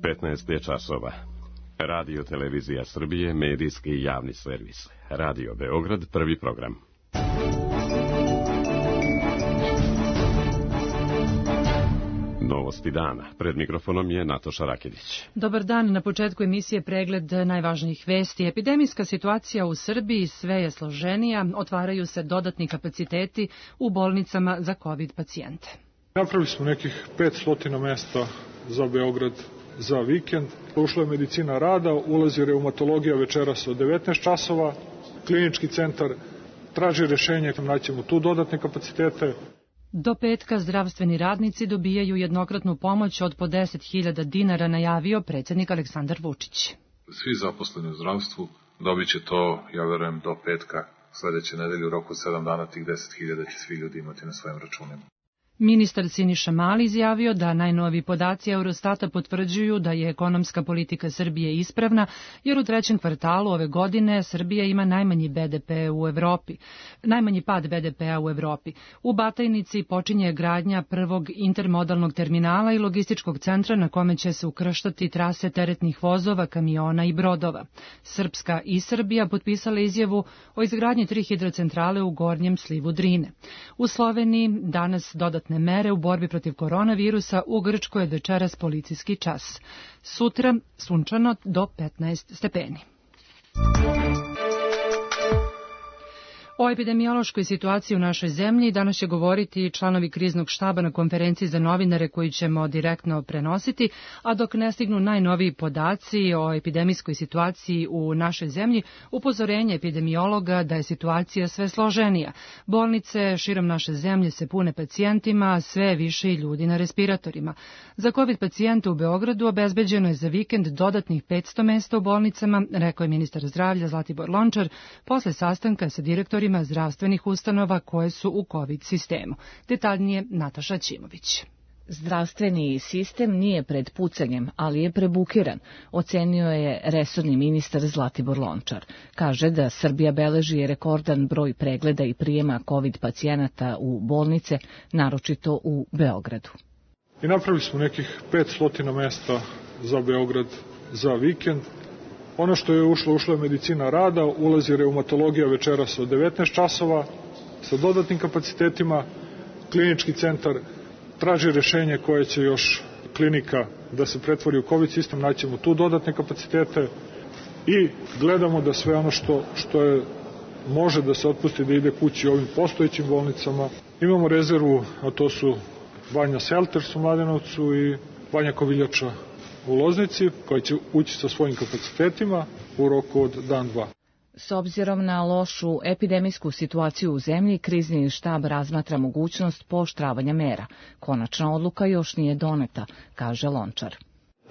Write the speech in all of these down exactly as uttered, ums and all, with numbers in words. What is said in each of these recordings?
petnaest je časova. Radio Televizija Srbije, medijski i javni servis. Radio Beograd, prvi program. Novosti dana. Pred mikrofonom je Natoša Rakedić. Dobar dan. Na početku emisije pregled najvažnijih vesti. Epidemijska situacija u Srbiji sve je složenija. Otvaraju se dodatni kapaciteti u bolnicama za COVID pacijente. Napravili smo nekih petsto mesta za Beograd za vikend. Ušla je medicina rada, ulazi reumatologija večeras od devetnaest časova. Klinički centar traži rešenje, naćemo tu dodatne kapacitete. Do petka zdravstveni radnici dobijaju jednokratnu pomoć od po deset hiljada dinara, najavio predsjednik Aleksandar Vučić. Svi zaposleni u zdravstvu dobit će to, ja verujem, do petka sledeće nedelje, u roku sedam dana tih deset hiljada će svi ljudi imati na svojim računima. Ministar Siniša Mali izjavio da najnoviji podaci Eurostata potvrđuju da je ekonomska politika Srbije ispravna, jer u trećem kvartalu ove godine Srbija ima najmanji B D P u Evropi, najmanji pad B D P-a u Evropi. U Batajnici počinje gradnja prvog intermodalnog terminala i logističkog centra na kome će se ukrštati trase teretnih vozova, kamiona i brodova. Srpska i Srbija potpisale izjavu o izgradnji tri hidrocentrale u gornjem slivu Drine. U Sloveniji danas dodatne mere u borbi protiv koronavirusa, u Grčkoj je večeras policijski čas. Sutra sunčano do petnaest stepeni. O epidemiološkoj situaciji u našoj zemlji danas će govoriti članovi kriznog štaba na konferenciji za novinare koju ćemo direktno prenositi, a dok ne stignu najnoviji podaci o epidemijskoj situaciji u našoj zemlji, upozorenje epidemiologa da je situacija sve složenija. Bolnice širom naše zemlje se pune pacijentima, a sve više i ljudi na respiratorima. Za COVID pacijente u Beogradu obezbeđeno je za vikend dodatnih petsto mesta u bolnicama, rekao je ministar zdravlja Zlatibor Lončar posle sastanka sa direktorima zdravstvenih ustanova koje su u COVID sistemu. Detaljnije Nataša Ćimović. Zdravstveni sistem nije pred pucanjem, ali je prebukiran, ocenio je resorni ministar Zlatibor Lončar. Kaže da Srbija beleži rekordan broj pregleda i prijema COVID pacijenata u bolnice, naročito u Beogradu. I napravili smo nekih petsto mesta za Beograd za vikend. Ono što je ušlo, ušla je medicina rada, ulazi reumatologija večeras od devetnaest časova sa dodatnim kapacitetima. Klinički centar traži rešenje koje će još klinika da se pretvori u COVID sistem, naćemo tu dodatne kapacitete i gledamo da sve ono što, što je, može da se otpusti da ide kući ovim postojećim bolnicama. Imamo rezervu, a to su Banja Selters u Mladenovcu i Banja Koviljača u Loznici, koji će ući sa svojim kapacitetima u roku od dan dva. S obzirom na lošu epidemijsku situaciju u zemlji, krizni štab razmatra mogućnost pooštravanja mera. Konačna odluka još nije doneta, kaže Lončar.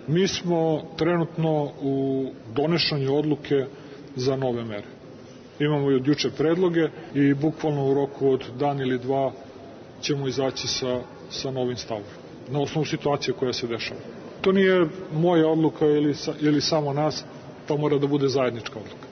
Mi smo trenutno u donošenju odluke za nove mere. Imamo i od juče predloge i bukvalno u roku od dan ili dva ćemo izaći sa, sa novim stavom, na osnovu situacije koja se dešava. To nije moja odluka ili, ili samo nas, to mora da bude zajednička odluka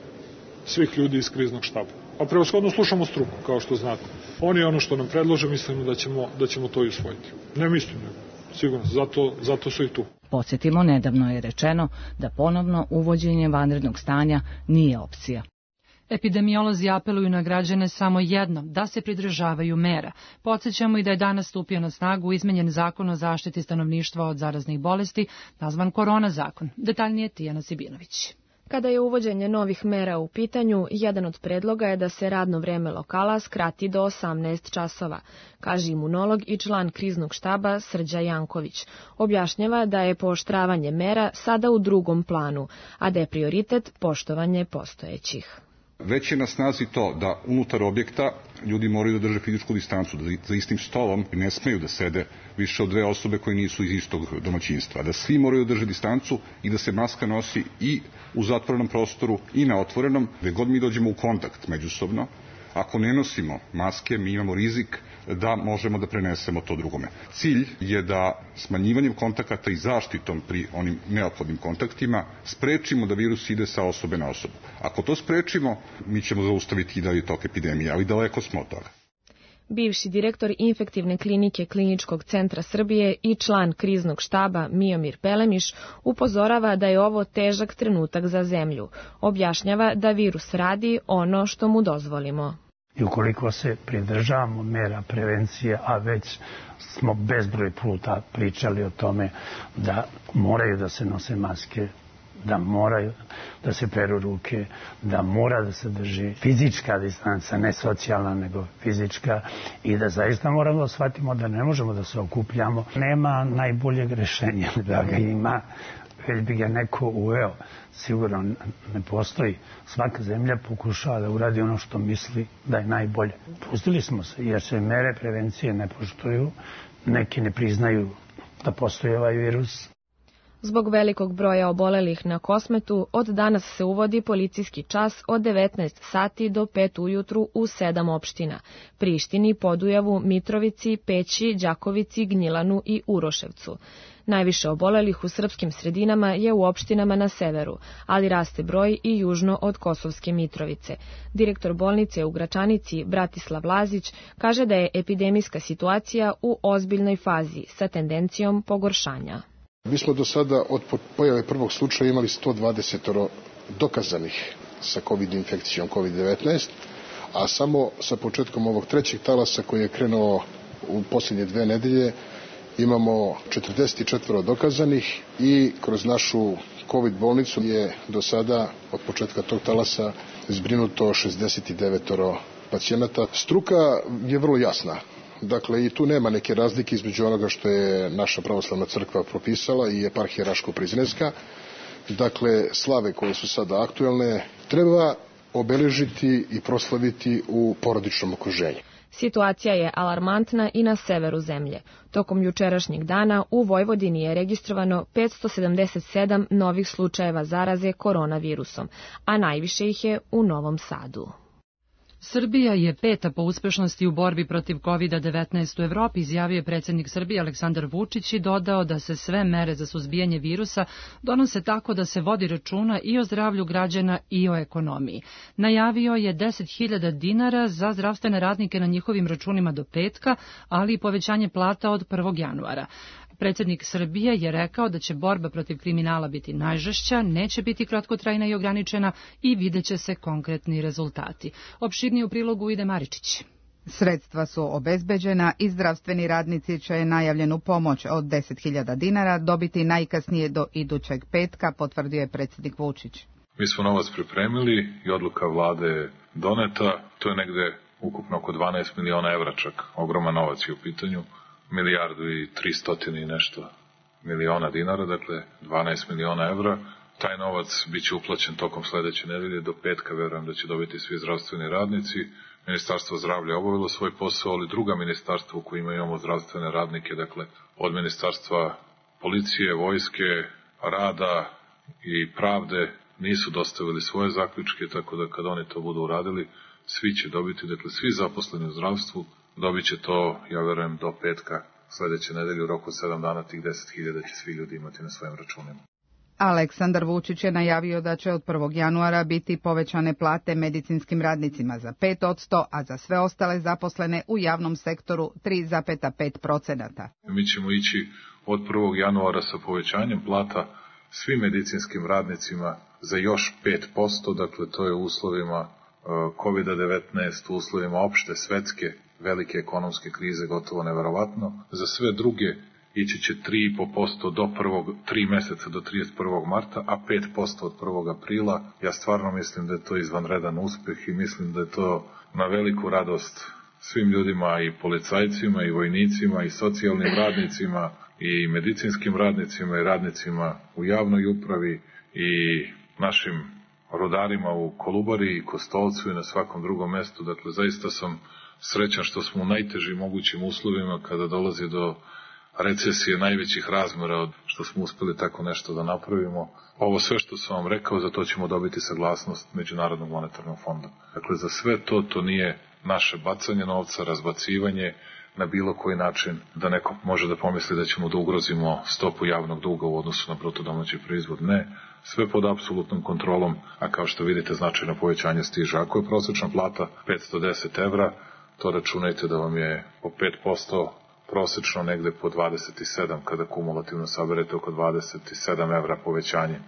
svih ljudi iz kriznog štaba. A prevashodno slušamo struku, kao što znate. Oni ono što nam predlože, mislimo da ćemo, da ćemo to i usvojiti. Ne mislim, nego sigurno, zato, zato su i tu. Podsjetimo, nedavno je rečeno da ponovno uvođenje vanrednog stanja nije opcija. Epidemiolozi apeluju na građane samo jedno, da se pridržavaju mera. Podsjećamo i da je danas stupio na snagu izmenjen zakon o zaštiti stanovništva od zaraznih bolesti, nazvan Korona zakon. Detaljnije Tijana Sibinović. Kada je uvođenje novih mera u pitanju, jedan od predloga je da se radno vreme lokala skrati do osamnaest časova, kaže imunolog i član kriznog štaba Srđa Janković. Objašnjava da je pooštravanje mera sada u drugom planu, a da je prioritet poštovanje postojećih. Već je na snazi to da unutar objekta ljudi moraju da drže fizičku distancu, da za istim stolom ne smeju da sede više od dve osobe koje nisu iz istog domaćinstva, da svi moraju da drže distancu i da se maska nosi i u zatvorenom prostoru i na otvorenom, gde god mi dođemo u kontakt međusobno. Ako ne nosimo maske, mi imamo rizik da možemo da prenesemo to drugome. Cilj je da smanjivanjem kontakata i zaštitom pri onim neophodnim kontaktima sprečimo da virus ide sa osobe na osobu. Ako to sprečimo, mi ćemo zaustaviti i dalje tok epidemije, ali daleko smo od toga. Bivši direktor infektivne klinike Kliničkog centra Srbije i član kriznog štaba Miomir Pelemiš upozorava da je ovo težak trenutak za zemlju. Objašnjava da virus radi ono što mu dozvolimo. I ukoliko se pridržavamo mera prevencije, a već smo bezbroj puta pričali o tome da moraju da se nose maske, da moraju da se peru ruke, da mora da se drži fizička distanca, ne socijalna, nego fizička, i da zaista moramo da shvatimo da ne možemo da se okupljamo. Nema najboljeg rešenja, da ga ima, već bi ga neko uveo. Sigurno ne postoji. Svaka zemlja pokušava da uradi ono što misli da je najbolje. Pustili smo se, jer se mere prevencije ne poštuju, neki ne priznaju da postoji ovaj virus. Zbog velikog broja obolelih na Kosmetu, od danas se uvodi policijski čas od devetnaest sati do pet ujutru u sedam opština: Prištini, Podujevu, Mitrovici, Peći, Đakovici, Gnjilanu i Uroševcu. Najviše obolelih u srpskim sredinama je u opštinama na severu, ali raste broj i južno od Kosovske Mitrovice. Direktor bolnice u Gračanici, Bratislav Lazić, kaže da je epidemijska situacija u ozbiljnoj fazi sa tendencijom pogoršanja. Mi smo do sada od pojave prvog slučaja imali sto dvadeset dokazanih sa COVID infekcijom kovid devetnaest, a samo sa početkom ovog trećeg talasa koji je krenuo u posljednje dve nedelje imamo četrdeset četiri dokazanih i kroz našu COVID bolnicu je do sada od početka tog talasa zbrinuto šezdeset devet pacijenata. Struka je vrlo jasna. Dakle, i tu nema neke razlike između onoga što je naša pravoslavna crkva propisala i eparhija Raško-Prizrenska. Dakle, slave koje su sada aktuelne treba obeležiti i proslaviti u porodičnom okruženju. Situacija je alarmantna i na severu zemlje. Tokom jučerašnjeg dana u Vojvodini je registrovano petsto sedamdeset sedam novih slučajeva zaraze koronavirusom, a najviše ih je u Novom Sadu. Srbija je peta po uspešnosti u borbi protiv kovid devetnaest u Evropi, izjavio je predsjednik Srbije Aleksandar Vučić i dodao da se sve mere za suzbijanje virusa donose tako da se vodi računa i o zdravlju građana i o ekonomiji. Najavio je deset hiljada dinara za zdravstvene radnike na njihovim računima do petka, ali i povećanje plata od prvog januara. Predsjednik Srbije je rekao da će borba protiv kriminala biti najžešća, neće biti kratkotrajna i ograničena i videće se konkretni rezultati. Opširnije u prilogu Ide Maričić. Sredstva su obezbeđena i zdravstveni radnici će najavljenu pomoć od deset hiljada dinara dobiti najkasnije do idućeg petka, potvrdio je predsjednik Vučić. Mi smo novac pripremili i odluka vlade je doneta. To je negde ukupno oko dvanaest miliona evra, čak ogroman novac je u pitanju. Milijardu i tristotine i nešto miliona dinara, dakle dvanaest miliona evra. Taj novac biće uplaćen tokom sledeće nedelje, do petka verujem da će dobiti svi zdravstveni radnici. Ministarstvo zdravlja je obavilo svoj posao, ali druga ministarstva u kojima imamo zdravstvene radnike, dakle od ministarstva policije, vojske, rada i pravde, nisu dostavili svoje zaključke, tako da kad oni to budu uradili, svi će dobiti, dakle svi zaposleni u zdravstvu, dobit će to, ja verujem, do petka sledeće nedelje, u roku sedam dana tih deset hiljada će svi ljudi imati na svojim računima. Aleksandar Vučić je najavio da će od prvog januara biti povećane plate medicinskim radnicima za pet posto, a za sve ostale zaposlene u javnom sektoru tri zarez pet procenata. Mi ćemo ići od prvog januara sa povećanjem plata svim medicinskim radnicima za još pet posto, dakle to je u uslovima kovid devetnaest, u uslovima opšte svetske velike ekonomske krize gotovo neverovatno. Za sve druge ići će tri zarez pet posto do prvog, tri meseca do trideset prvog marta, a pet posto od prvog aprila. Ja stvarno mislim da je to izvanredan uspeh i mislim da je to na veliku radost svim ljudima, i policajcima, i vojnicima, i socijalnim radnicima, i medicinskim radnicima, i radnicima u javnoj upravi, i našim rudarima u Kolubari i Kostolcu i na svakom drugom mestu. Dakle, zaista sam srećan što smo u najtežim mogućim uslovima kada dolazi do recesije najvećih razmera, što smo uspeli tako nešto da napravimo. Ovo sve što sam vam rekao, za to ćemo dobiti saglasnost Međunarodnog monetarnog fonda. Dakle, za sve to, to nije naše bacanje novca, razbacivanje na bilo koji način, da neko može da pomisli da ćemo da ugrozimo stopu javnog duga u odnosu na bruto domaći proizvod. Ne, sve pod apsolutnom kontrolom, a kao što vidite značajno povećanje stiže. Ako je prosečna plata petsto deset evra, to računajte da vam je po pet posto prosečno negde po dvadeset sedam, kada kumulativno saberete oko dvadeset sedam evra povećanje.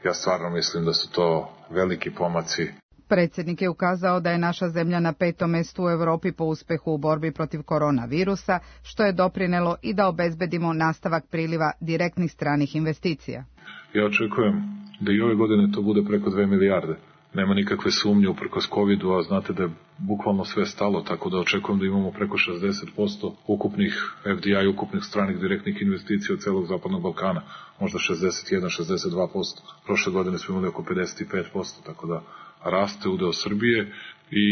Ja stvarno mislim da su to veliki pomaci. Predsjednik je ukazao da je naša zemlja na petom mestu u Europi po uspehu u borbi protiv koronavirusa, što je doprinelo i da obezbedimo nastavak priliva direktnih stranih investicija. Ja očekujem da i ove godine to bude preko dve milijarde. Nema nikakve sumnje uprkos covidu, a znate da je bukvalno sve stalo, tako da očekujem da imamo preko šezdeset posto ukupnih F D I, ukupnih stranih direktnih investicija od celog Zapadnog Balkana, možda šezdeset jedan do šezdeset dva posto. Prošle godine smo imali oko pedeset pet posto, tako da raste udeo Srbije i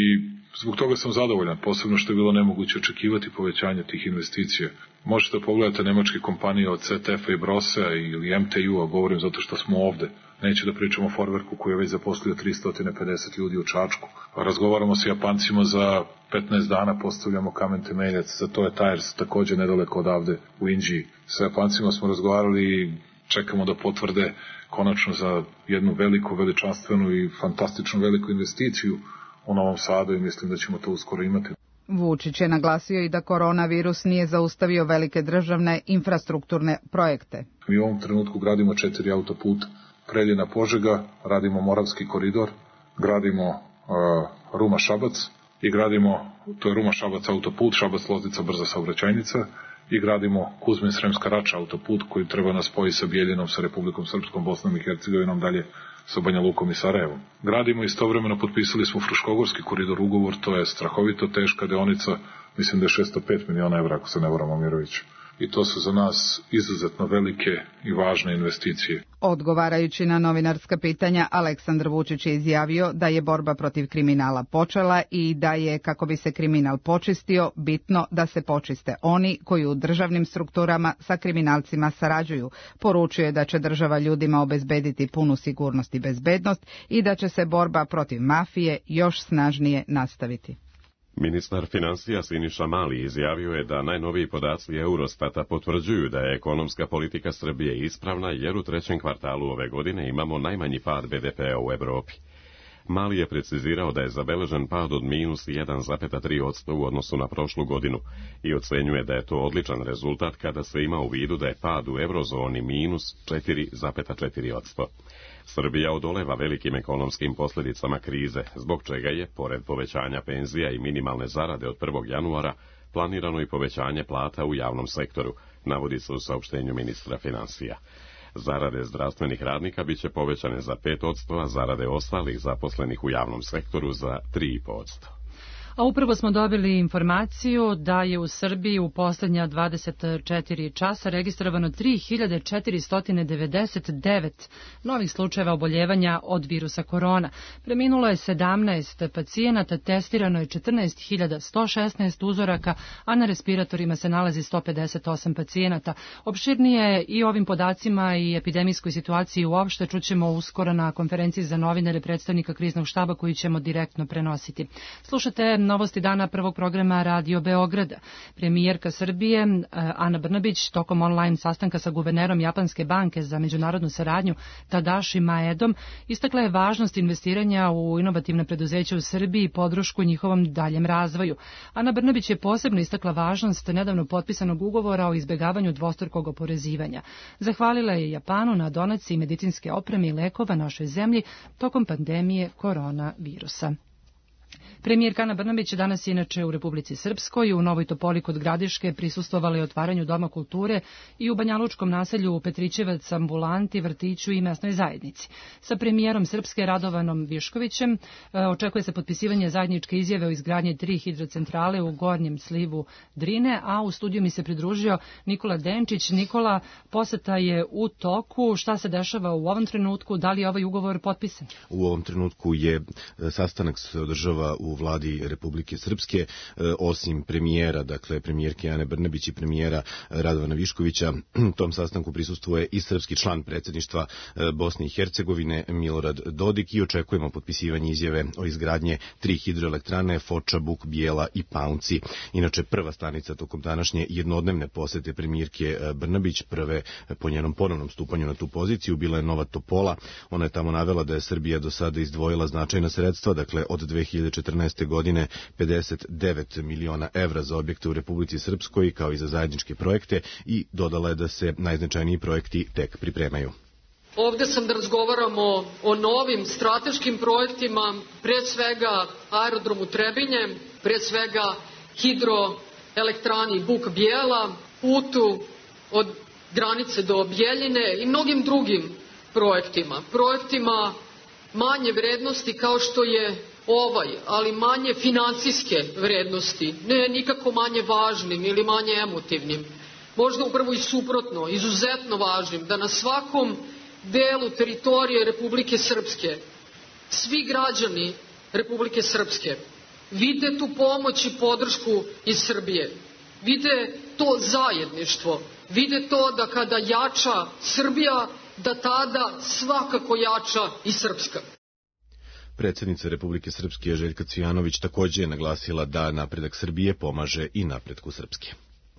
zbog toga sam zadovoljan, posebno što je bilo nemoguće očekivati povećanje tih investicija. Možete pogledati nemačke kompanije od C T F-a i Brose ili M T U-a, govorim zato što smo ovde. Neću da pričamo o Forwerku koji je već zaposlio tristo pedeset ljudi u Čačku. Razgovaramo sa Japancima za petnaest dana, postavljamo kamen temeljac, za to je Tires takođe nedaleko odavde u Inđiji. Sa Japancima smo razgovarali i čekamo da potvrde konačno za jednu veliku, veličanstvenu i fantastičnu veliku investiciju u Novom Sadu i mislim da ćemo to uskoro imati. Vučić je naglasio i da koronavirus nije zaustavio velike državne infrastrukturne projekte. Mi u ovom trenutku gradimo četiri autoputa. Preljina-Požega, radimo Moravski koridor, gradimo uh, Ruma-Šabac i gradimo, to je Ruma-Šabac autoput, Šabac-Loznica brza saobraćajnica i gradimo Kuzmin-Sremska Rača autoput koji treba nas spoji sa Bijeljinom, sa Republikom Srpskom, Bosnom i Hercegovinom, dalje sa Banja Lukom i Sarajevom. Gradimo istovremeno, potpisali smo Fruškogorski koridor ugovor, to je strahovito teška deonica, mislim da je šesto pet miliona evra, ako se ne varam, Miroviću. I to su za nas izuzetno velike i važne investicije. Odgovarajući na novinarska pitanja, Aleksandar Vučić je izjavio da je borba protiv kriminala počela i da je, kako bi se kriminal počistio, bitno da se počiste oni koji u državnim strukturama sa kriminalcima sarađuju. Poručuje da će država ljudima obezbediti punu sigurnost i bezbednost i da će se borba protiv mafije još snažnije nastaviti. Ministar financija Siniša Mali izjavio je da najnoviji podaci Eurostata potvrđuju da je ekonomska politika Srbije ispravna jer u trećem kvartalu ove godine imamo najmanji pad B D P-a u Evropi. Mali je precizirao da je zabeležen pad od minus jedan zarez tri posto u odnosu na prošlu godinu i ocenjuje da je to odličan rezultat kada se ima u vidu da je pad u eurozoni minus četiri zarez četiri posto. Srbija odoleva velikim ekonomskim posljedicama krize, zbog čega je, pored povećanja penzija i minimalne zarade od prvog januara, planirano i povećanje plata u javnom sektoru, navodi se u saopštenju ministra financija. Zarade zdravstvenih radnika biće povećane za pet posto, a zarade ostalih zaposlenih u javnom sektoru za tri posto. A upravo smo dobili informaciju da je u Srbiji u posljednja dvadeset četiri časa registrovano tri hiljade četiristo devedeset devet novih slučajeva oboljevanja od virusa korona. Preminulo je sedamnaest pacijenata, testirano je četrnaest hiljada sto šesnaest uzoraka, a na respiratorima se nalazi sto pedeset osam pacijenata. Opširnije i ovim podacima i epidemijskoj situaciji uopšte čućemo uskoro na konferenciji za novinare predstavnika kriznog štaba koji ćemo direktno prenositi. Slušate novosti dana prvog programa Radio Beograda. Premijerka Srbije Ana Brnabić tokom online sastanka sa guvernerom Japanske banke za međunarodnu saradnju Tadashi Maedom istakla je važnost investiranja u inovativne preduzeća u Srbiji i podršku njihovom daljem razvoju. Ana Brnabić je posebno istakla važnost nedavno potpisanog ugovora o izbegavanju dvostrukog oporezivanja. Zahvalila je Japanu na donaciji medicinske opreme i lekova našoj zemlji tokom pandemije koronavirusa. Premijerka Ana Brnabić danas je inače u Republici Srpskoj, u Novoj Topoli kod Gradiške prisustvovala je otvaranju Doma kulture i u banjalučkom naselju Petrićevac, ambulanti, vrtiću i mesnoj zajednici. Sa premijerom Srpske Radovanom Viškovićem očekuje se potpisivanje zajedničke izjave o izgradnji tri hidrocentrale u gornjem slivu Drine, a u studiju mi se pridružio Nikola Denčić. Nikola, poseta je u toku. Šta se dešava u ovom trenutku? Da li je ovaj ugovor potpisan? U ovom trenutku je sastanak se održava u vladi Republike Srpske, osim premijera, dakle premijerke Ane Brnabić i premijera Radovana Viškovića. Tom sastanku prisustvuje i srpski član predsjedništva Bosne i Hercegovine Milorad Dodik i očekujemo potpisivanje izjave o izgradnje tri hidroelektrane Foča, Buk, Bijela i Paunci. Inače, prva stanica tokom današnje jednodnevne posete premijerke Brnabić, prve po njenom ponovnom stupanju na tu poziciju, bila je Nova Topola. Ona je tamo navela da je Srbija do sada izdvojila značajna sredstva, dakle od dve hiljade četrnaeste četrnaeste. godine pedeset devet miliona evra za objekte u Republici Srpskoj kao i za zajedničke projekte i dodala je da se najznačajniji projekti tek pripremaju. Ovde sam da razgovaramo o novim strateškim projektima, pre svega aerodromu Trebinje, pre svega hidroelektrani Buk Bijela, putu od granice do Bjeljine i mnogim drugim projektima. Projektima manje vrednosti kao što je ovaj, ali manje financijske vrednosti, ne nikako manje važnim ili manje emotivnim. Možda upravo i suprotno, izuzetno važnim, da na svakom delu teritorije Republike Srpske svi građani Republike Srpske vide tu pomoć i podršku iz Srbije. Vide to zajedništvo, vide to da kada jača Srbija, da tada svakako jača i Srpska. Predsjednica Republike Srpske Željka Cvijanović također je naglasila da napredak Srbije pomaže i napretku Srpske.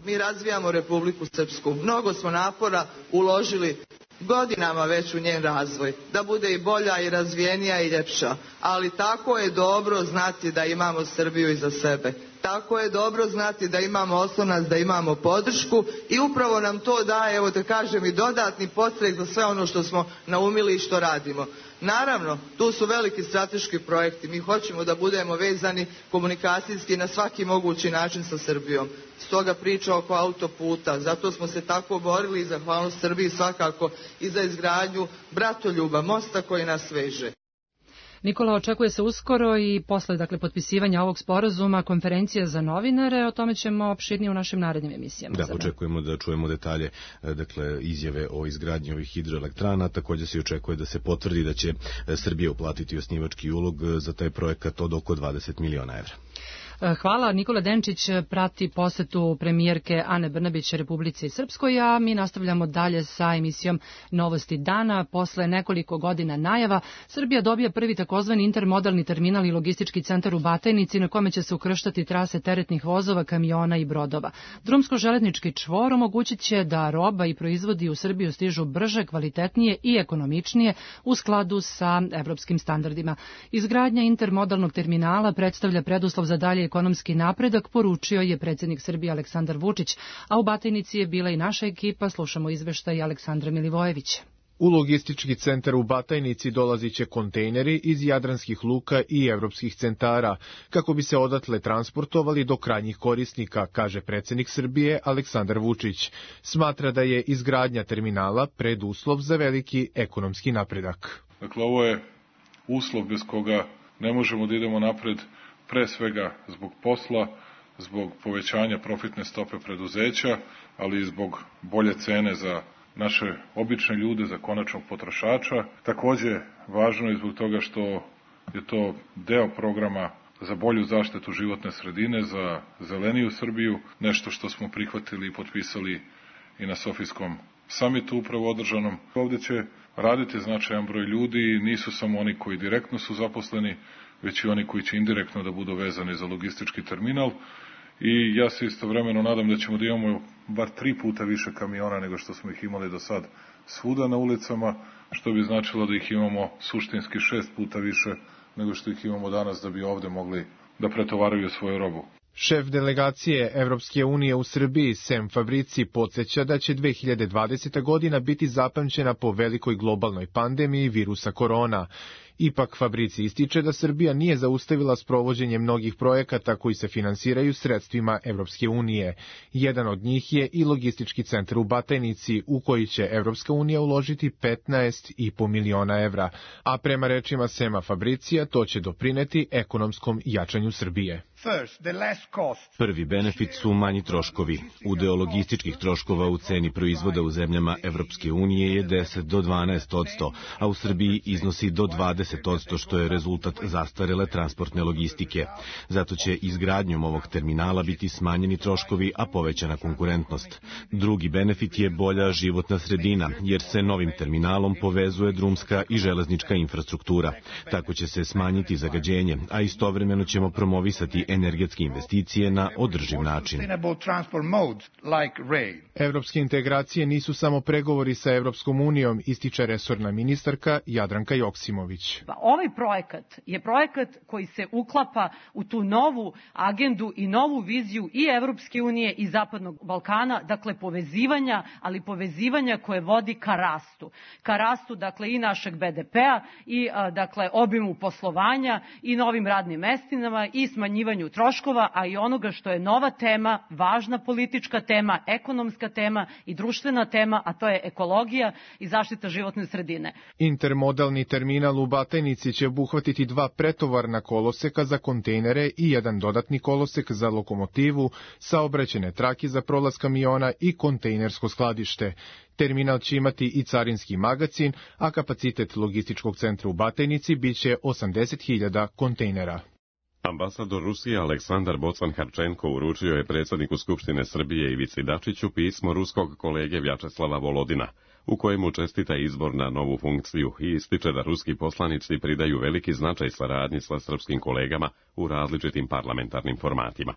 Mi razvijamo Republiku Srpsku. Mnogo smo napora uložili godinama već u njen razvoj, da bude i bolja i razvijenija i ljepša. Ali tako je dobro znati da imamo Srbiju iza sebe. Tako je dobro znati da imamo oslonac, da imamo podršku i upravo nam to daje, evo da kažem, i dodatni podstrek za sve ono što smo naumili i što radimo. Naravno, tu su veliki strateški projekti. Mi hoćemo da budemo vezani komunikacijski na svaki mogući način sa Srbijom. Stoga priča oko autoputa. Zato smo se tako borili i zahvalnost Srbiji svakako i za izgradnju Bratoljuba, mosta koji nas veže. Nikola, očekuje se uskoro i posle dakle, potpisivanja ovog sporazuma konferencija za novinare, o tome ćemo opširnije u našim narednim emisijama. Da, očekujemo da čujemo detalje, dakle, izjave o izgradnji ovih hidroelektrana, također se očekuje da se potvrdi da će Srbija uplatiti osnivački ulog za taj projekat od oko dvadeset miliona evra. Hvala. Nikola Denčić prati posetu premijerke Ane Brnabić Republici Srpskoj, a mi nastavljamo dalje sa emisijom Novosti dana. Posle nekoliko godina najava, Srbija dobija prvi takozvani intermodalni terminal i logistički centar u Batajnici na kome će se ukrštati trase teretnih vozova, kamiona i brodova. Drumsko-železnički čvor omogućit će da roba i proizvodi u Srbiju stižu brže, kvalitetnije i ekonomičnije u skladu sa evropskim standardima. Izgradnja intermodalnog terminala predstavlja preduslov za dalje ekonomski napredak, poručio je predsjednik Srbije Aleksandar Vučić, a u Batajnici je bila i naša ekipa, slušamo izveštaj Aleksandra Milivojevića. U logistički centar u Batajnici dolazit će kontejneri iz jadranskih luka i evropskih centara, kako bi se odatle transportovali do krajnjih korisnika, kaže predsjednik Srbije Aleksandar Vučić. Smatra da je izgradnja terminala preduslov za veliki ekonomski napredak. Dakle, ovo je uslov bez koga ne možemo da idemo napred, pre svega zbog posla, zbog povećanja profitne stope preduzeća, ali i zbog bolje cene za naše obične ljude, za konačnog potrošača. Također važno je zbog toga što je to deo programa za bolju zaštitu životne sredine, za zeleniju Srbiju, nešto što smo prihvatili i potpisali i na Sofijskom samitu upravo održanom. Ovdje će raditi značajan broj ljudi, nisu samo oni koji direktno su zaposleni, već i oni koji će indirektno da budu vezani za logistički terminal. I ja se istovremeno nadam da ćemo da imamo bar tri puta više kamiona nego što smo ih imali do sad svuda na ulicama, što bi značilo da ih imamo suštinski šest puta više nego što ih imamo danas da bi ovde mogli da pretovaraju svoju robu. Šef delegacije Evropske unije u Srbiji, Sem Fabrici, podsjeća da će dve hiljade dvadeseta. godina biti zapamćena po velikoj globalnoj pandemiji virusa korona. Ipak Fabrici ističe da Srbija nije zaustavila sprovođenje mnogih projekata koji se finansiraju sredstvima Evropske unije. Jedan od njih je i logistički centar u Batajnici, u koji će Evropska unija uložiti petnaest i po miliona evra, a prema rečima Sema Fabricija to će doprineti ekonomskom jačanju Srbije. Prvi benefit su manji troškovi. Udeo logističkih troškova u ceni proizvoda u zemljama Evropske unije je deset do dvanaest posto, a u Srbiji iznosi do dvadeset posto, što je rezultat zastarele transportne logistike. Zato će izgradnjom ovog terminala biti smanjeni troškovi, a povećana konkurentnost. Drugi benefit je bolja životna sredina, jer se novim terminalom povezuje drumska i železnička infrastruktura. Tako će se smanjiti zagađenje, a istovremeno ćemo promovisati energetske investicije na održiv način. Evropske integracije nisu samo pregovori sa Evropskom unijom, ističe resorna ministarka Jadranka Joksimović. Đurić. Ovaj projekat je projekat koji se uklapa u tu novu agendu i novu viziju i Evropske unije i Zapadnog Balkana, dakle povezivanja, ali povezivanja koje vodi ka rastu. Ka rastu, dakle, i našeg be de pea i, dakle, obimu poslovanja i novim radnim mestinama i smanjivanju troškova, a i onoga što je nova tema, važna politička tema, ekonomska tema i društvena tema, a to je ekologija i zaštita životne sredine. Intermodalni terminal u Batajnici će obuhvatiti dva pretovarna koloseka za kontejnere i jedan dodatni kolosek za lokomotivu, saobraćajne trake za prolaz kamiona i kontejnersko skladište. Terminal će imati i carinski magacin, a kapacitet logističkog centra u Batajnici biće osamdeset hiljada kontejnera. Ambasador Rusije Aleksandar Bocan-Harčenko uručio je predsjedniku Skupštine Srbije Ivici Dačiću pismo ruskog kolege Vjačeslava Volodina, u kojemu čestita izbor na novu funkciju i ističe da ruski poslanici pridaju veliki značaj saradnji sa srpskim kolegama u različitim parlamentarnim formatima.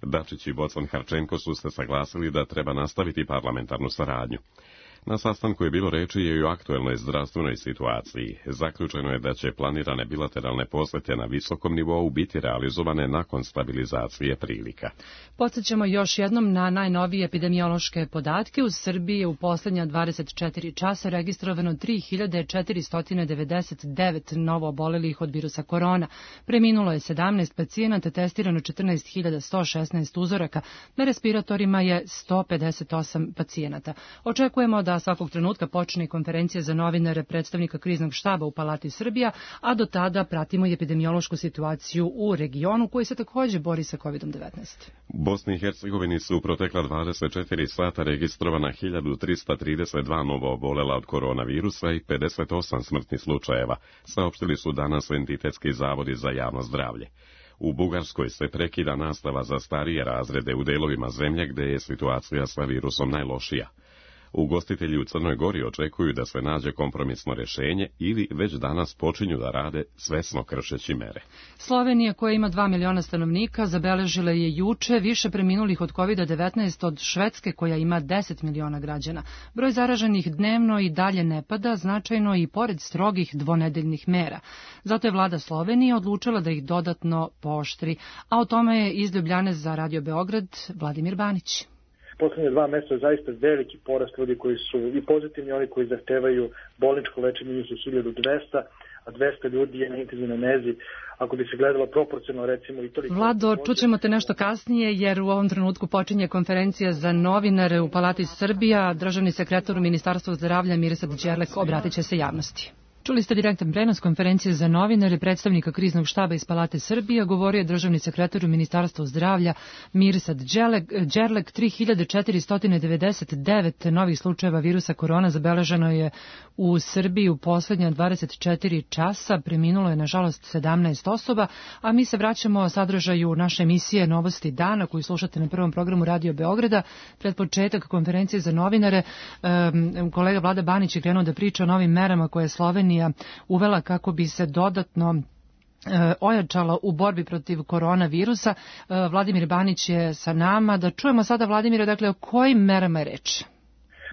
Dačić i Bocan-Harčenko su se saglasili da treba nastaviti parlamentarnu saradnju. Na sastanku je bilo reči i o aktuelnoj zdravstvenoj situaciji. Zaključeno je da će planirane bilateralne posete na visokom nivou biti realizovane nakon stabilizacije prilika. Podsjećamo još jednom na najnovije epidemiološke podatke. U Srbiji je u posljednja dvadeset četiri časa registrovano tri hiljade četiristo devedeset devet novo obolelih od virusa korona. Preminulo je sedamnaest pacijenata, testirano četrnaest hiljada sto šesnaest uzoraka. Na respiratorima je sto pedeset osam pacijenata. Očekujemo da svakog trenutka počne konferencija za novinare predstavnika kriznog štaba u Palati Srbija, a do tada pratimo i epidemiološku situaciju u regionu koji se također bori sa kovid devetnaest. U Bosni i Hercegovini su u protekla dvadeset četiri sata registrovana hiljadu trista trideset dva novo obolela od koronavirusa i pedeset osam smrtnih slučajeva, saopštili su danas entitetski zavodi za javno zdravlje. U Bugarskoj se prekida nastava za starije razrede u delovima zemlje gde je situacija sa virusom najlošija. Ugostitelji u Crnoj Gori očekuju da se nađe kompromisno rješenje ili već danas počinju da rade svesno kršeći mere. Slovenija, koja ima dva miliona stanovnika, zabeležila je juče više preminulih od kovid devetnaest od Švedske, koja ima deset miliona građana. Broj zaraženih dnevno i dalje ne pada, značajno i pored strogih dvonedeljnih mera. Zato je vlada Slovenije odlučila da ih dodatno pooštri, a o tome je iz Ljubljane za Radio Beograd Vladimir Banić. Poslednje dva meseca je zaista veliki porast ljudi koji su i pozitivni, oni koji zahtevaju bolničko lečenje, njih je hiljadu dvesta, a dvesta ljudi je na intenzivnoj nezi. Ako bi se gledalo proporcionalno, recimo i toliko... Vlado, čućemo te nešto kasnije, jer u ovom trenutku počinje konferencija za novinare u Palati Srbija. Državni sekretar u Ministarstvu zdravlja Mirsad Đerlek obratit će se javnosti. Čuli ste direktan prenos konferencije za novinare predstavnika kriznog štaba iz Palate Srbije, govorio je državni sekretar u Ministarstvu zdravlja Mirsad Đerlek. tri hiljade četiristo devedeset devet novih slučajeva virusa korona zabeleženo je u Srbiji u posljednja dvadeset četiri časa, preminulo je nažalost sedamnaest osoba, a mi se vraćamo sadržaju naše emisije Novosti dana koju slušate na prvom programu Radio Beograda. Pred početak konferencije za novinare um, kolega Vlada Banić je krenuo da priča o novim merama koje je Slovenija uvela kako bi se dodatno e, ojačala u borbi protiv koronavirusa. E, Vladimir Banić je sa nama. Da čujemo sada, Vladimira, dakle, o kojim merama je reč?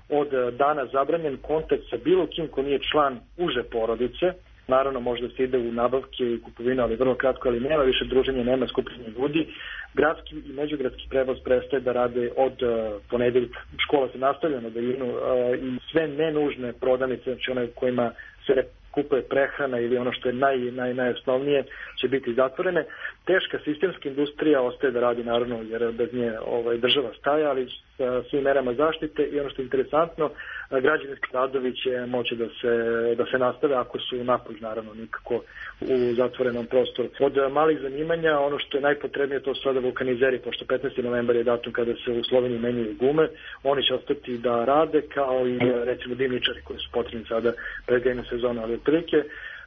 Od dana zabranjen kontakt sa bilo kim ko nije član uže porodice. Naravno, možda se ide u nabavke i kupovinu, ali vrlo kratko, ali nema više druženja, nema skupljanja ljudi. Gradski i međugradski prevoz prestaje da rade od uh, ponedeljka. Škola se nastavlja na daljinu uh, i sve nenužne prodavnice, znači one kojima se kupuje prehrana ili ono što je naj, naj, najosnovnije, će biti zatvorene. Teška sistemska industrija ostaje da radi, naravno, jer bez nje ovaj, država staja, ali sa svim merama zaštite i ono što je interesantno, građevinski radovi će moći da se, da se nastave ako su napolj, naravno, nikako u zatvorenom prostoru. Od malih zanimanja, ono što je najpotrebnije, to su sada vulkanizeri, pošto petnaesti novembar je datum kada se u Sloveniji menjaju gume, oni će ostati da rade, kao i recimo dimničari koji su potrebni sada pred grejnu sezonu, ali otprilike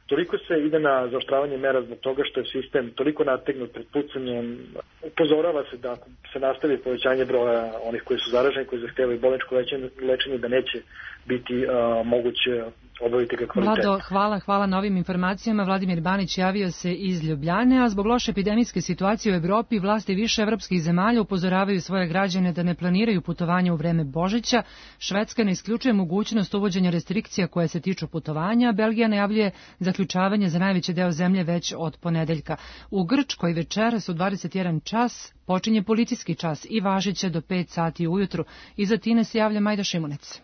toliko se ide na zaoštravanje mera zbog toga što je sistem toliko nategnut pred pucanjem. Upozorava se da se nastavi povećanje broja onih koji su zaraženi, koji zahtevaju bolničko lečenje, da neće biti uh, moguće obaviti ga kvalitetno. Vlado, hvala, hvala na ovim informacijama. Vladimir Banić javio se iz Ljubljane, a zbog loše epidemijske situacije u Evropi vlasti više evropskih zemalja upozoravaju svoje građane da ne planiraju putovanje u vreme Božića. Švedska ne isključuje mogućnost uvođenja restrikcija koje se tiču putovanja. Belgija najavljuje zaključenje isključavanje za najveći deo zemlje već od ponedeljka. U Grčkoj večeras u dvadeset jedan čas počinje policijski čas i važiće do pet sati ujutru. Iz Atine se javlja Majda Šimunec.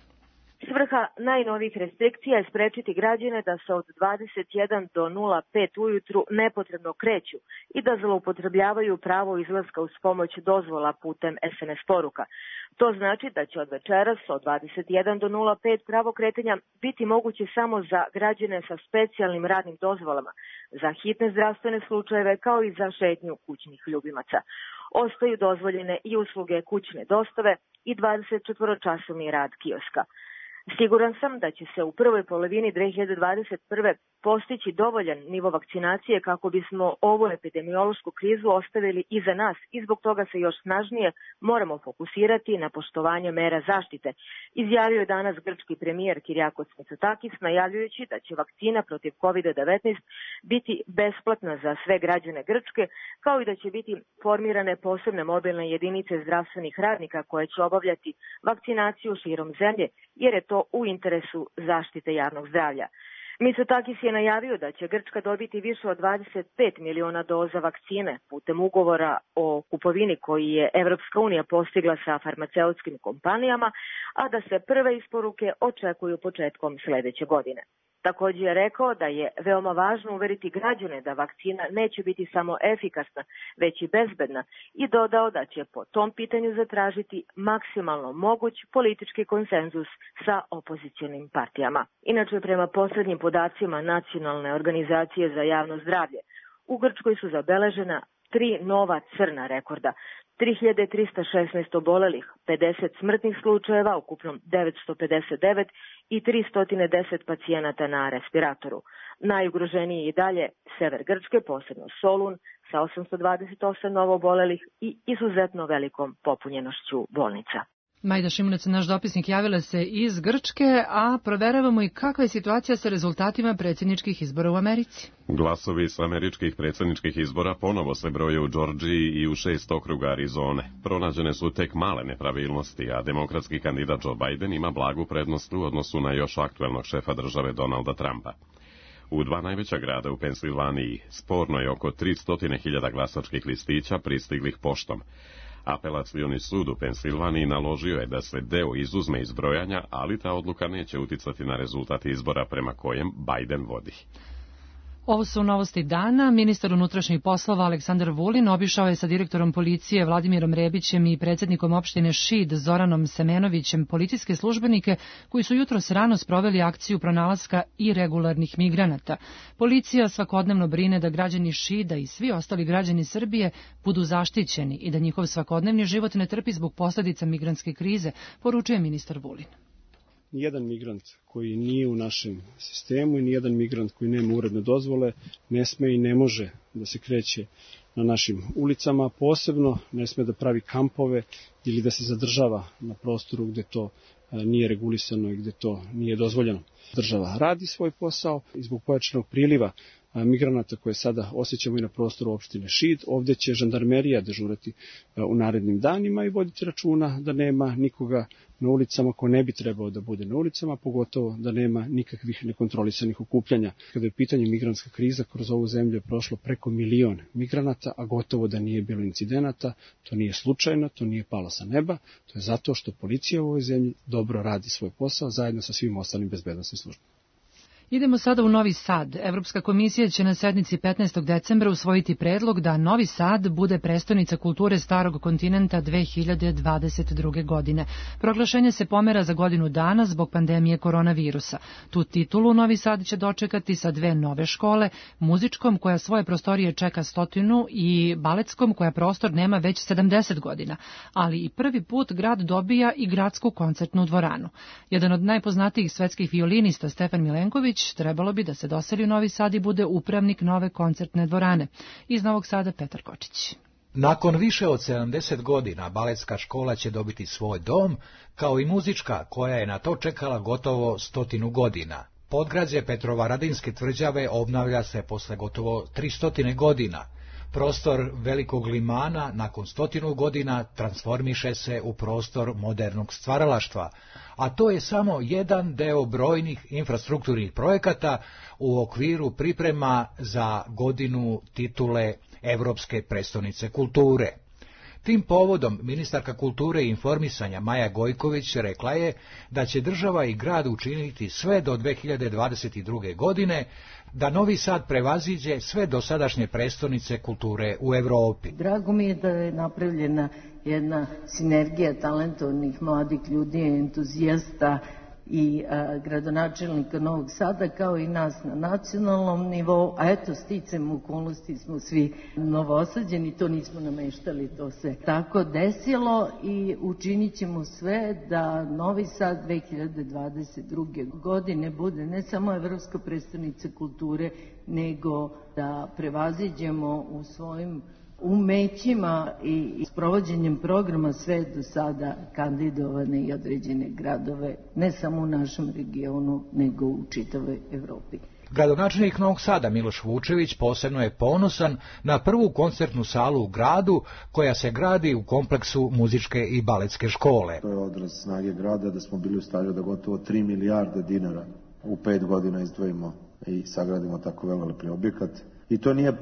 Svrha najnovijih restrikcija je sprečiti građane da se od dvadeset jedan do nula pet ujutru nepotrebno kreću i da zloupotrebljavaju pravo izlaska uz pomoć dozvola putem es em es poruka. To znači da će od večeras od dvadeset jedan do nula pet pravo kretanja biti moguće samo za građane sa specijalnim radnim dozvolama, za hitne zdravstvene slučajeve kao i za šetnju kućnih ljubimaca. Ostaju dozvoljene i usluge kućne dostave i dvadesetčetvoročasovni rad kioska. Siguran sam da će se u prvoj polovini dve hiljade dvadeset prve postići dovoljan nivo vakcinacije kako bismo ovu epidemiološku krizu ostavili iza nas i zbog toga se još snažnije moramo fokusirati na poštovanje mera zaštite, izjavio je danas grčki premijer Kyriakos Mitsotakis, najavljujući da će vakcina protiv kovid devetnaest biti besplatna za sve građane Grčke, kao i da će biti formirane posebne mobilne jedinice zdravstvenih radnika koje će obavljati vakcinaciju širom zemlje, jer je to u interesu zaštite javnog zdravlja. Mitsotakis je najavio da će Grčka dobiti više od dvadeset pet miliona doza vakcine putem ugovora o kupovini koji je Evropska unija postigla sa farmaceutskim kompanijama, a da se prve isporuke očekuju početkom sledeće godine. Također je rekao da je veoma važno uveriti građane da vakcina neće biti samo efikasna, već i bezbedna i dodao da će po tom pitanju zatražiti maksimalno moguć politički konsenzus sa opozicionim partijama. Inače, prema poslednjim podacima Nacionalne organizacije za javno zdravlje, u Grčkoj su zabeležena tri nova crna rekorda. tri hiljade trista šesnaest obolelih, pedeset smrtnih slučajeva, ukupno devetsto pedeset devet i tristo deset pacijenata na respiratoru. Najugroženiji je i dalje sever Grčke, posebno Solun, sa osamsto dvadeset osam novoobolelih i izuzetno velikom popunjenošću bolnica. Majda Šimunec, naš dopisnik, javila se iz Grčke, a proveravamo i kakva je situacija sa rezultatima predsjedničkih izbora u Americi. Glasovi s američkih predsjedničkih izbora ponovo se broje u Džordžiji i u šest okruga Arizone. Pronađene su tek male nepravilnosti, a demokratski kandidat Joe Biden ima blagu prednost u odnosu na još aktuelnog šefa države Donalda Trumpa. U dva najveća grada u Pensilvaniji sporno je oko tristo hiljada glasačkih listića pristiglih poštom. Apelacioni sud u Pensilvaniji naložio je da se deo izuzme iz brojanja, ali ta odluka neće uticati na rezultat izbora prema kojem Biden vodi. Ovo su novosti dana. Ministar unutrašnjih poslova Aleksandar Vulin obišao je sa direktorom policije Vladimirom Rebićem i predsjednikom opštine Šid Zoranom Semenovićem policijske službenike koji su jutros rano sproveli akciju pronalaska irregularnih migranata. Policija svakodnevno brine da građani Šida i svi ostali građani Srbije budu zaštićeni i da njihov svakodnevni život ne trpi zbog posljedica migrantske krize, poručuje ministar Vulin. Nijedan migrant koji nije u našem sistemu i nijedan migrant koji nema uredne dozvole ne sme i ne može da se kreće na našim ulicama, posebno ne sme da pravi kampove ili da se zadržava na prostoru gde to nije regulisano i gde to nije dozvoljeno. Država radi svoj posao i zbog pojačanog priliva migranata koje sada osjećamo i na prostoru opštine Šid, ovdje će žandarmerija dežurati u narednim danima i voditi računa da nema nikoga na ulicama ko ne bi trebao da bude na ulicama, pogotovo da nema nikakvih nekontrolisanih okupljanja. Kada je u pitanju migrantska kriza, kroz ovu zemlju je prošlo preko milion migranata, a gotovo da nije bilo incidenata. To nije slučajno, to nije palo sa neba, to je zato što policija u ovoj zemlji dobro radi svoj posao zajedno sa svim ostalim bezbednosnim službama. Idemo sada u Novi Sad. Evropska komisija će na sednici petnaestog decembra usvojiti predlog da Novi Sad bude prestonica kulture starog kontinenta dve hiljade dvadeset druge. godine. Proglašenje se pomera za godinu dana zbog pandemije koronavirusa. Tu titulu Novi Sad će dočekati sa dve nove škole, muzičkom koja svoje prostorije čeka stotinu i baletskom koja prostor nema već sedamdeset godina, ali i prvi put grad dobija i gradsku koncertnu dvoranu. Jedan od najpoznatijih svetskih violinista, Stefan Milenković, trebalo bi da se doseli u Novi Sad i bude upravnik nove koncertne dvorane. Iz Novog Sada Petar Kočić. Nakon više od sedamdeset godina baletska škola će dobiti svoj dom, kao i muzička koja je na to čekala gotovo stotinu godina. Podgrađe Petrovaradinske tvrđave obnavlja se posle gotovo tristotine godina. Prostor Velikog Limana nakon stotinu godina transformiše se u prostor modernog stvaralaštva, a to je samo jedan deo brojnih infrastrukturnih projekata u okviru priprema za godinu titule Evropske prestonice kulture. Tim povodom ministarka kulture i informisanja Maja Gojković rekla je da će država i grad učiniti sve do dve hiljade dvadeset druge. godine da Novi Sad prevaziđe sve dosadašnje prestonice kulture u Evropi. Drago mi je da je napravljena jedna sinergija talentovanih mladih ljudi, entuzijasta i a, gradonačelnika Novog Sada, kao i nas na nacionalnom nivou, a eto, sticam okolnosti smo svi novoosađeni, to nismo nameštali, to se tako desilo i učinit ćemo sve da Novi Sad dve hiljade dvadeset druge. godine bude ne samo Evropska prestonica kulture, nego da prevaziđemo u svojim umećima i sprovođenjem programa sve do sada kandidovane i određene gradove, ne samo u našem regionu, nego u čitavoj Evropi. Gradonačelnik Novog Sada Miloš Vučević posebno je ponosan na prvu koncertnu salu u gradu koja se gradi u kompleksu muzičke i baletske škole. To je odraz snage grada da smo bili u stanju da gotovo tri milijarde dinara u pet godina izdvojimo i sagradimo tako veliki objekat. I to nije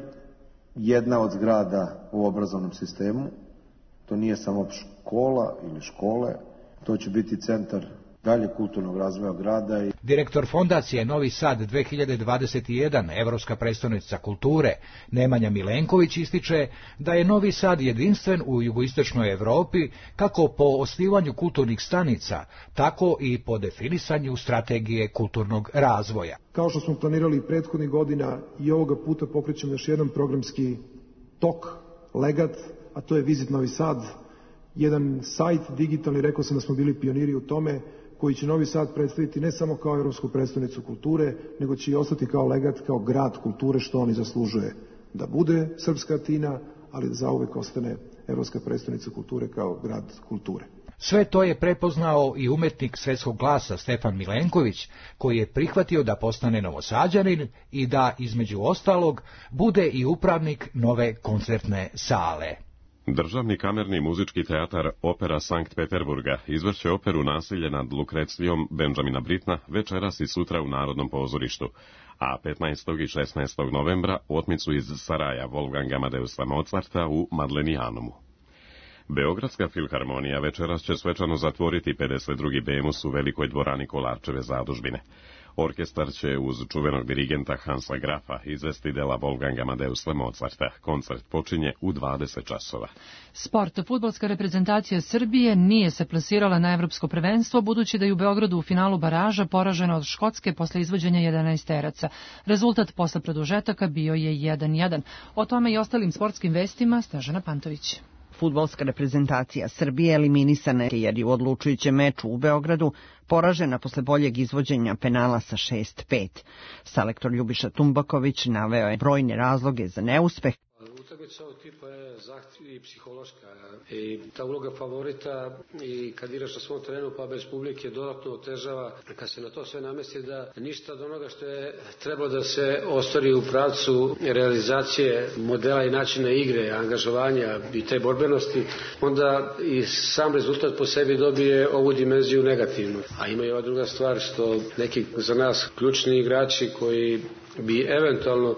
jedna od zgrada u obrazovnom sistemu, to nije samo škola ili škole, to će biti centar dalje kulturnog razvoja grada. Direktor fondacije Novi Sad dve hiljade dvadeset jedan, Evropska prestonica kulture, Nemanja Milenković ističe da je Novi Sad jedinstven u jugoistočnoj Evropi kako po osnivanju kulturnih stanica, tako i po definisanju strategije kulturnog razvoja. Kao što smo planirali prethodnih godina, i ovoga puta pokrećemo još jedan programski tok, legat, a to je Vizit Novi Sad, jedan sajt digitalni, rekao sam da smo bili pioniri u tome, koji će Novi Sad predstaviti ne samo kao Evropsku prestonicu kulture, nego će i ostati kao legat, kao grad kulture, što on i zaslužuje da bude srpska Atina, ali da zauvek ostane Evropska prestonica kulture kao grad kulture. Sve to je prepoznao i umetnik svetskog glasa Stefan Milenković, koji je prihvatio da postane Novosađanin i da, između ostalog, bude i upravnik nove koncertne sale. Državni kamerni muzički teatar Opera Sankt Peterburga izvrće operu Nasilje nad Lukrecijom Benjamina Britna večeras i sutra u Narodnom pozorištu, a petnaestog i šesnaestog novembra otmicu iz Saraja Wolfganga Amadeusa Mozarta u Madlenijanumu. Beogradska filharmonija večeras će svečano zatvoriti pedeset drugi Bemus u velikoj dvorani Kolarčeve zadužbine. Orkestar će uz čuvenog dirigenta Hansa Grafa izvesti dela Wolfganga Amadeusa Mozarta. Koncert počinje u dvadeset časova. Sport. Fudbalska reprezentacija Srbije nije se plasirala na evropsko prvenstvo, budući da je u Beogradu u finalu baraža poražena od Škotske posle izvođenja jedanaesteraca. Rezultat posle produžetaka bio je jedan jedan. O tome i ostalim sportskim vestima Snežana Pantović. Fudbalska reprezentacija Srbije eliminisana je jer je u odlučujućem meču u Beogradu poražena posle boljeg izvođenja penala sa šest pet. Selektor Ljubiša Tumbaković naveo je brojne razloge za neuspeh. Utakmica ovog tipa je zahtjev i psihološka i ta uloga favorita i kad igraš na svom terenu pa bez publike dodatno otežava. Kad se na to sve namesti da ništa od onoga što je trebalo da se ostvari u pravcu realizacije modela i načina igre, angažovanja i te borbenosti, onda i sam rezultat po sebi dobije ovu dimenziju negativnu. A ima i ova druga stvar što neki za nas ključni igrači koji bi eventualno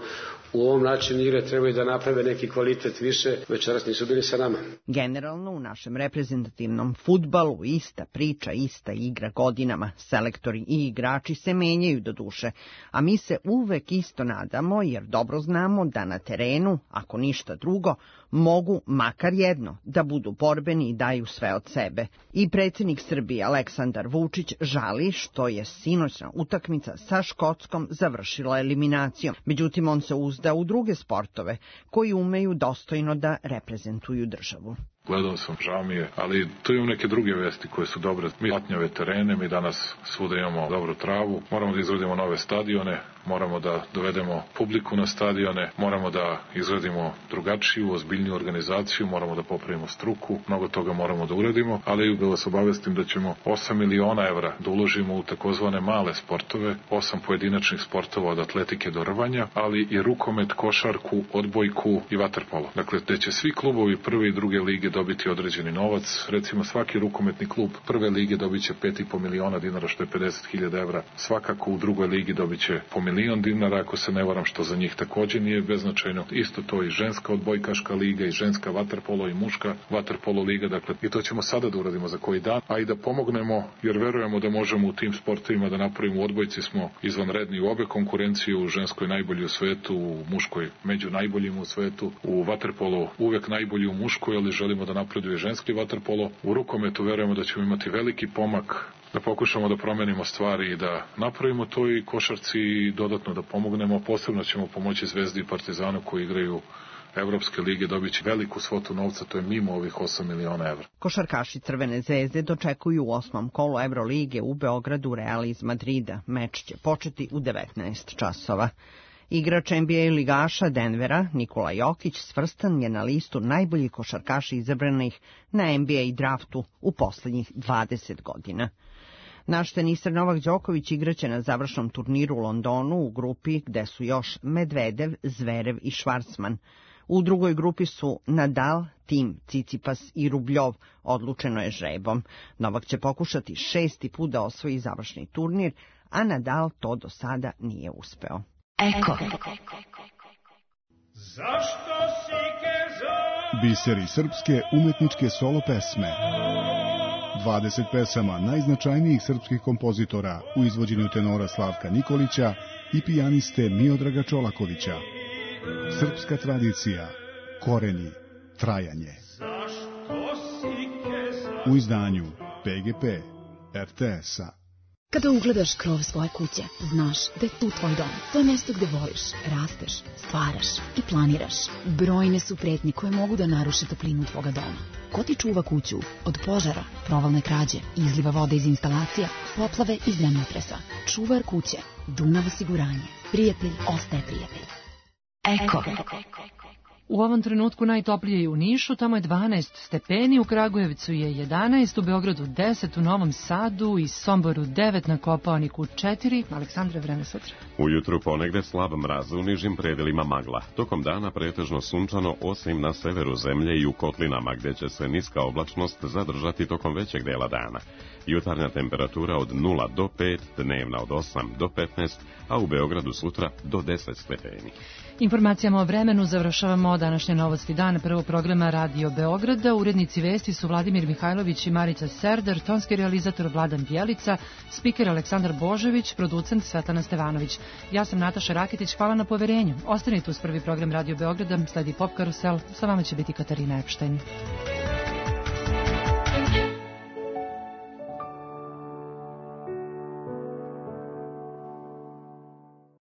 u ovom načinu igre trebaju da naprave neki kvalitet više, večeras nisu bili sa nama. Generalno u našem reprezentativnom fudbalu ista priča, ista igra godinama. Selektori i igrači se menjaju do duše, a mi se uvek isto nadamo jer dobro znamo da na terenu, ako ništa drugo, mogu makar jedno da budu borbeni i daju sve od sebe. I predsjednik Srbije Aleksandar Vučić žali što je sinoćna utakmica sa Škotskom završila eliminacijom. Međutim, on se uzda u druge sportove koji umeju dostojno da reprezentuju državu. Gledao sam, žao mi je, ali tu imam neke druge vesti koje su dobre. Mi platnjave terene, mi danas svuda imamo dobru travu, moramo da izgradimo nove stadione, moramo da dovedemo publiku na stadione, moramo da izgradimo drugačiju, ozbiljniju organizaciju, moramo da popravimo struku, mnogo toga moramo da uradimo, ali da vas obavestim da ćemo osam miliona evra da uložimo u takozvane male sportove, osam pojedinačnih sportova od atletike do rvanja, ali i rukomet, košarku, odbojku i vaterpolo. Dakle, gde će svi klubovi prve i druge lige dobiti određeni novac. Recimo, svaki rukometni klub prve lige dobit će pet i po miliona dinara, što je pedeset hiljada evra. Svakako u drugoj ligi dobit će po milion dinara, ako se ne varam, što za njih takođe nije beznačajno. Isto to i ženska odbojkaška liga, i ženska vaterpolo, i muška vaterpolo liga. Dakle, i to ćemo sada da uradimo za koji dan, a i da pomognemo, jer verujemo da možemo u tim sportovima da napravimo. U odbojci smo izvanredni u obe konkurencije, u ženskoj najbolji u svetu, u muškoj među najboljim u svetu, u vaterpolu uvek najbolji u muškoj, ali želimo da napreduje ženski vaterpolo. U rukometu verujemo da ćemo imati veliki pomak, da pokušamo da promenimo stvari i da napravimo to, i košarci i dodatno da pomognemo. Posebno ćemo pomoći Zvezdi i Partizanu koji igraju Evropske lige, dobiće veliku svotu novca, to je mimo ovih osam miliona evra. Košarkaši Crvene zvezde dočekuju u osmom kolu Evrolige u Beogradu Real iz Madrida. Meč će početi u devetnaest časova. Igrač N B A ligaša Denvera, Nikola Jokić, svrstan je na listu najboljih košarkaša izabranih na N B A draftu u poslednjih dvadeset godina. Naš teniser Novak Đoković igraće na završnom turniru u Londonu u grupi gde su još Medvedev, Zverev i Švarcman. U drugoj grupi su Nadal, Tim, Cicipas i Rubljov, odlučeno je žrebom. Novak će pokušati šesti put da osvoji završni turnir, a Nadal to do sada nije uspeo. Eko. Zašto si kezo? Biseri srpske umetničke solo pesme. dvadeset pesama najznačajnijih srpskih kompozitora u izvođenju tenora Slavka Nikolića i pijaniste Miodraga Čolakovića. Srpska tradicija, koreni, trajanje. U izdanju P G P R T S-a. Kada ugledaš krov svoje kuće, znaš da je tu tvoj dom. To je mjesto gde voliš, rasteš, stvaraš i planiraš. Brojne su pretnje koje mogu da naruše toplinu tvoga doma. Ko ti čuva kuću od požara, provalne krađe, izliva vode iz instalacija, poplave i zemljotresa? Čuvar kuće, Dunav osiguranje. Prijatelj ostaje prijatelj. Eko. U ovom trenutku najtoplije je u Nišu, tamo je dvanaest stepeni, u Kragujevcu je jedanaest, u Beogradu deset, u Novom Sadu i Somboru devet, na Kopaoniku četiri. Aleksandre, vreme sutra. Ujutru ponegde slab mraz, u nižim predelima magla. Tokom dana pretežno sunčano, osim na severu zemlje i u kotlinama, gde će se niska oblačnost zadržati tokom većeg dela dana. Jutarnja temperatura od nula do pet, dnevna od osam do petnaest, a u Beogradu sutra do deset stepeni. Informacijama o vremenu završavamo današnje Novosti dana prvog programa Radio Beograda. Urednici vesti su Vladimir Mihajlović i Marica Serdar, tonski realizator Vladan Bjelica, spiker Aleksandar Božović, producent Svetlana Stevanović. Ja sam Nataša Raketić, hvala na poverenju. Ostanite uz prvi program Radio Beograda, sledi Pop Karusel, sa vama će biti Katarina Epštajn.